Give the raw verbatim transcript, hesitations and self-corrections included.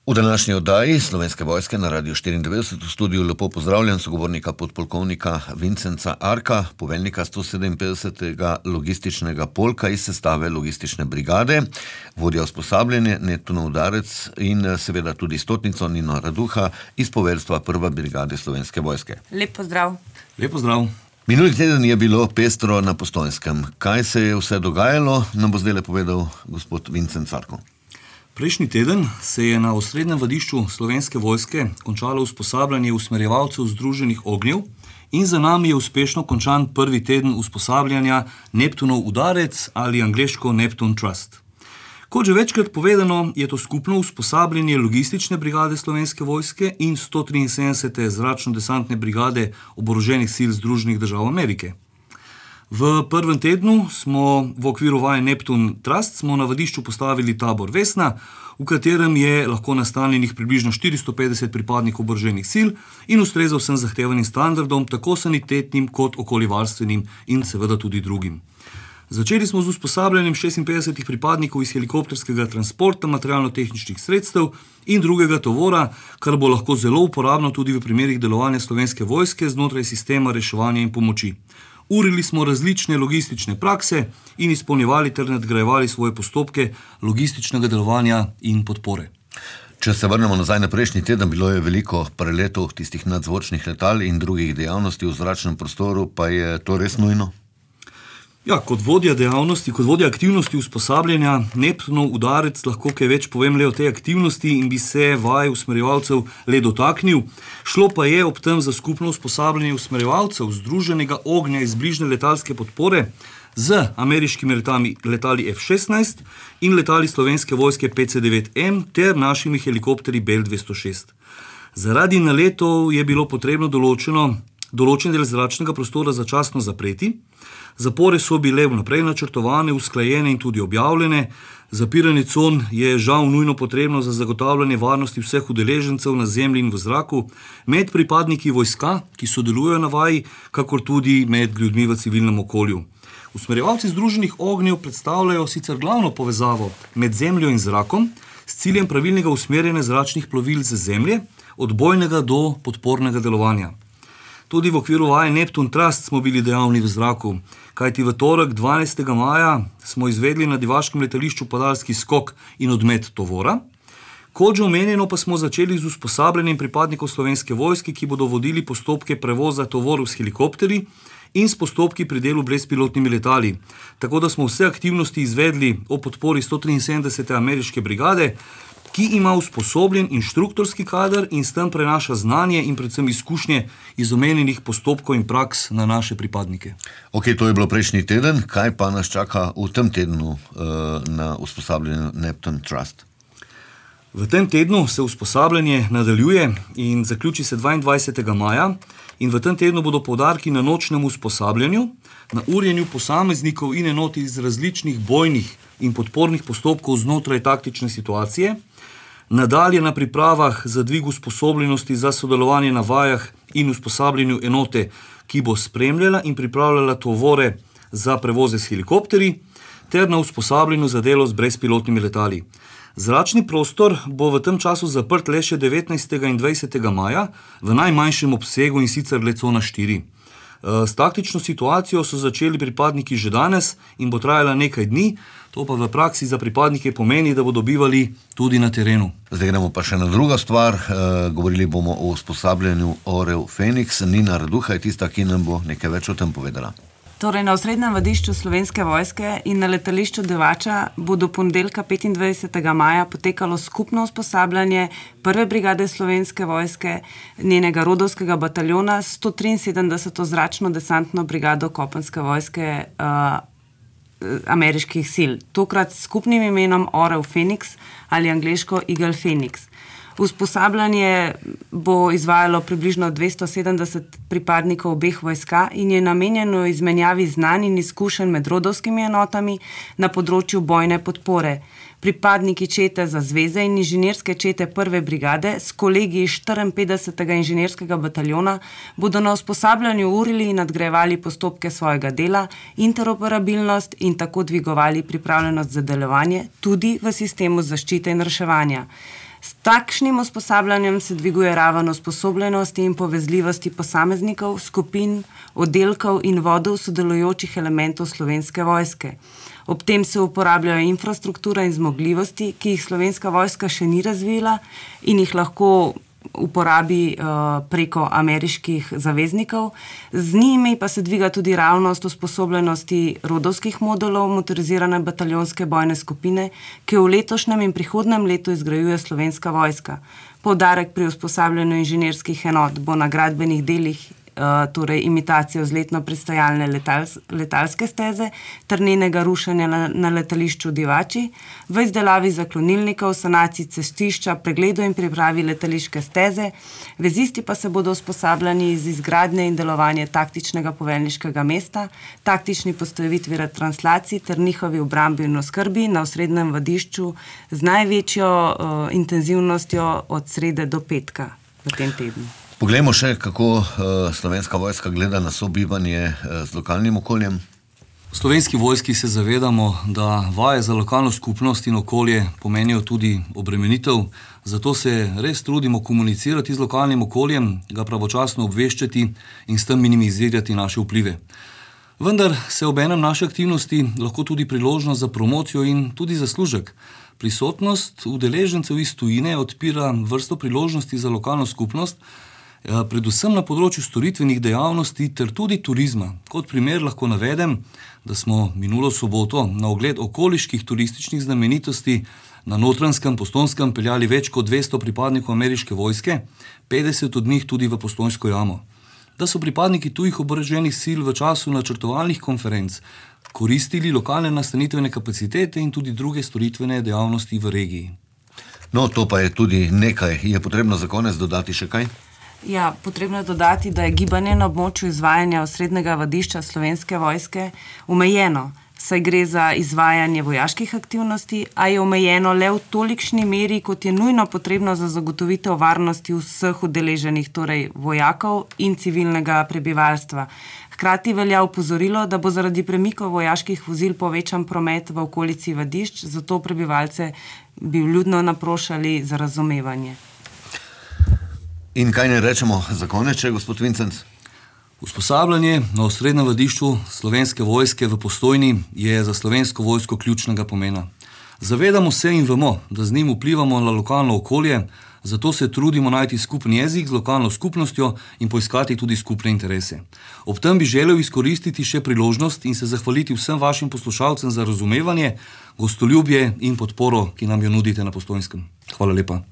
V današnji oddaji Slovenske vojske na Radiu štiriindevetdeset v studiu lepo pozdravljam sogovornika podpolkovnika Vincenca Arka, poveljnika sto sedeminpetdesetega logističnega polka iz sestave logistične brigade, vodja usposabljanje Neptunov udarec in seveda tudi stotnico Nino Raduha iz poveljstva prve brigade Slovenske vojske. Lep pozdrav. Lep pozdrav. Minuli teden je bilo pestro na Postojnskem. Kaj se je vse dogajalo, nam bo zdaj povedal gospod Vincenc Arko. Prejšnji teden se je na osrednjem vadišču Slovenske vojske končalo usposabljanje usmerjevalcev Združenih ognjev in za nami je uspešno končan prvi teden usposabljanja Neptunov udarec ali angleško Neptune Trust. Kot že večkrat povedano, je to skupno usposabljanje logistične brigade Slovenske vojske in sto triinsedemdesete zračno-desantne brigade oboroženih sil Združenih držav Amerike. V prvem tednu smo v okviru vaje Neptune Trust smo na vadišču postavili tabor Vesna, v katerem je lahko nastanjenih približno štiristo petdeset pripadnikov oboroženih sil in ustreza vsem zahtevanim standardom, tako sanitetnim kot okoljevarstvenim in seveda tudi drugim. Začeli smo z usposabljanjem šestinpetdesetih pripadnikov iz helikopterskega transporta, materialno-tehničnih sredstev in drugega tovora, kar bo lahko zelo uporabno tudi v primerih delovanja Slovenske vojske znotraj sistema reševanja in pomoči. Urili smo različne logistične prakse in izpolnjevali ter nadgrajevali svoje postopke logističnega delovanja in podpore. Če se vrnemo nazaj na prejšnji teden, bilo je veliko preletov tistih nadzvočnih letal in drugih dejavnosti v zračnem prostoru, pa je to res nujno? Ja, kot vodja dejavnosti, kot vodja aktivnosti usposabljanja Neptunov udarec lahko kaj več povem le o tej aktivnosti in bi se vaj usmerjevalcev le dotaknil. Šlo pa je ob tem za skupno usposabljanje usmerjevalcev Združenega ognja iz bližnje letalske podpore z ameriškimi letali, letali F šestnajst in letali Slovenske vojske P C devet M ter našimi helikopterji Bell dvesto šest. Zaradi naletov je bilo potrebno določeno, določen del zračnega prostora začasno zapreti. Zapore so bile vnaprej načrtovane, usklajene in tudi objavljene. Zapiranje con je žal nujno potrebno za zagotavljanje varnosti vseh udeležencev na zemlji in v zraku, med pripadniki vojska, ki sodelujejo na vaji, kakor tudi med ljudmi v civilnem okolju. Usmerjevalci Združenih ognjev predstavljajo sicer glavno povezavo med zemljo in zrakom s ciljem pravilnega usmerjanja zračnih plovil z zemlje, od bojnega do podpornega delovanja. Tudi v okviru vaje Neptune Trust smo bili dejavni v zraku, kajti v torek dvanajstega maja smo izvedli na divaškem letališču padalski skok in odmet tovora. Kot že omenjeno pa smo začeli z usposabljanjem pripadnikov Slovenske vojske, ki bodo vodili postopke prevoza tovorov s helikopterji in s postopki pri delu brezpilotnimi letali. Tako da smo vse aktivnosti izvedli o podpori sto triinsedemdesete ameriške brigade, ki ima usposobljen inštruktorski kader in s tem prenaša znanje in predvsem izkušnje iz omenjenih postopkov in praks na naše pripadnike. Ok, to je bilo prejšnji teden. Kaj pa nas čaka v tem tednu uh, na usposabljanju Neptune Trust? V tem tednu se usposabljanje nadaljuje in zaključi se dvaindvajsetega maja in v tem tednu bodo poudarki na nočnem usposabljanju, na urjenju posameznikov in enot iz različnih bojnih in podpornih postopkov znotraj taktične situacije, nadalje na pripravah za dvig usposobljenosti za sodelovanje na vajah in usposabljanju enote, ki bo spremljala in pripravljala tovore za prevoze s helikopterji, ter na usposabljanju za delo z brezpilotnimi letali. Zračni prostor bo v tem času zaprt le še devetnajstega in dvajsetega maja v najmanjšem obsegu in sicer le cona štiri. S taktično situacijo so začeli pripadniki že danes in bo trajala nekaj dni, to pa v praksi za pripadnike pomeni, da bodo bivali tudi na terenu. Zdaj gremo pa še na druga stvar, e, govorili bomo o usposabljanju Orel Feniks. Nina Raduha je tista, ki nam bo nekaj več o tem povedala. Torej, na osrednjem vadišču Slovenske vojske in na letališču Divača bo do ponedeljka petindvajsetega maja potekalo skupno usposabljanje prve brigade Slovenske vojske, njenega rodovskega bataljona, sto triinsedemdeseto zračno-desantno brigado kopenske vojske uh, ameriških sil. Tokrat s skupnim imenom Orel Feniks ali angleško Eagle Phoenix. Usposabljanje bo izvajalo približno dvesto sedemdeset pripadnikov obeh vojska in je namenjeno izmenjavi znanj in izkušenj med rodovskimi enotami na področju bojne podpore. Pripadniki čete za zveze in inženirske čete prve brigade s kolegi štiriinpetdesetega inženirskega bataljona bodo na usposabljanju urili in nadgrajevali postopke svojega dela, interoperabilnost in tako dvigovali pripravljenost za delovanje tudi v sistemu zaščite in reševanja. S takšnim usposabljanjem se dviguje raven usposobljenosti in povezljivosti posameznikov, skupin, oddelkov in vodov sodelujočih elementov Slovenske vojske. Ob tem se uporabljajo infrastruktura in zmogljivosti, ki jih Slovenska vojska še ni razvila in jih lahko uporabi uh, preko ameriških zaveznikov. Z njimi pa se dviga tudi ravnost usposobljenosti rodovskih modulov motorizirane bataljonske bojne skupine, ki jo v letošnjem in prihodnem letu izgrajuje Slovenska vojska. Poudarek pri usposabljanju inženirskih enot bo na gradbenih delih, uh, torej imitacijo vzletno pristajalne letals, letalske steze ter njenega rušenja na, na letališču Divači, v izdelavi zaklonilnikov, sanaciji cestišča, pregledu in pripravi letališke steze. Vezisti pa se bodo usposabljani iz izgradnje in delovanja taktičnega poveljniškega mesta, taktični postavitvi retranslacij ter njihovi obrambi in oskrbi na osrednjem vadišču z največjo uh, intenzivnostjo od srede do petka v tem tednu. Poglejmo še, kako uh, Slovenska vojska gleda na sobivanje uh, z lokalnim okoljem. V Slovenski vojski se zavedamo, da vaje za lokalno skupnost in okolje pomenijo tudi obremenitev, zato se res trudimo komunicirati z lokalnim okoljem, ga pravočasno obveščati in s tem minimizirati naše vplive. Vendar se obenem naše aktivnosti lahko tudi priložnost za promocijo in tudi zaslužek. Prisotnost udeležencev iz tujine odpira vrsto priložnosti za lokalno skupnost, predvsem na področju storitvenih dejavnosti ter tudi turizma. Kot primer lahko navedem, da smo minulo soboto na ogled okoliških turističnih znamenitosti na Notranjskem, Postojnskem peljali več kot dvesto pripadnikov ameriške vojske, petdeset od njih tudi v Postojnsko jamo. Da so pripadniki tujih oboroženih sil v času načrtovalnih konferenc koristili lokalne nastanitvene kapacitete in tudi druge storitvene dejavnosti v regiji. No, to pa je tudi nekaj. Je potrebno za konec dodati še kaj? Ja, potrebno je dodati, da je gibanje na območju izvajanja osrednjega vadišča Slovenske vojske omejeno, saj gre za izvajanje vojaških aktivnosti, a je omejeno le v tolikšni meri, kot je nujno potrebno za zagotovitev varnosti vseh udeleženih, torej vojakov in civilnega prebivalstva. Hkrati velja opozorilo, da bo zaradi premikov vojaških vozil povečan promet v okolici vadišč, zato prebivalce bi vljudno naprošali za razumevanje. In kaj ne rečemo za konec, gospod Vincenc? Usposabljanje na osrednjem vadišču Slovenske vojske v Postojni je za Slovensko vojsko ključnega pomena. Zavedamo se in vemo, da z njim vplivamo na lokalno okolje, zato se trudimo najti skupni jezik z lokalno skupnostjo in poiskati tudi skupne interese. Ob tem bi želel izkoristiti še priložnost in se zahvaliti vsem vašim poslušalcem za razumevanje, gostoljubje in podporo, ki nam jo nudite na Postojnskem. Hvala lepa.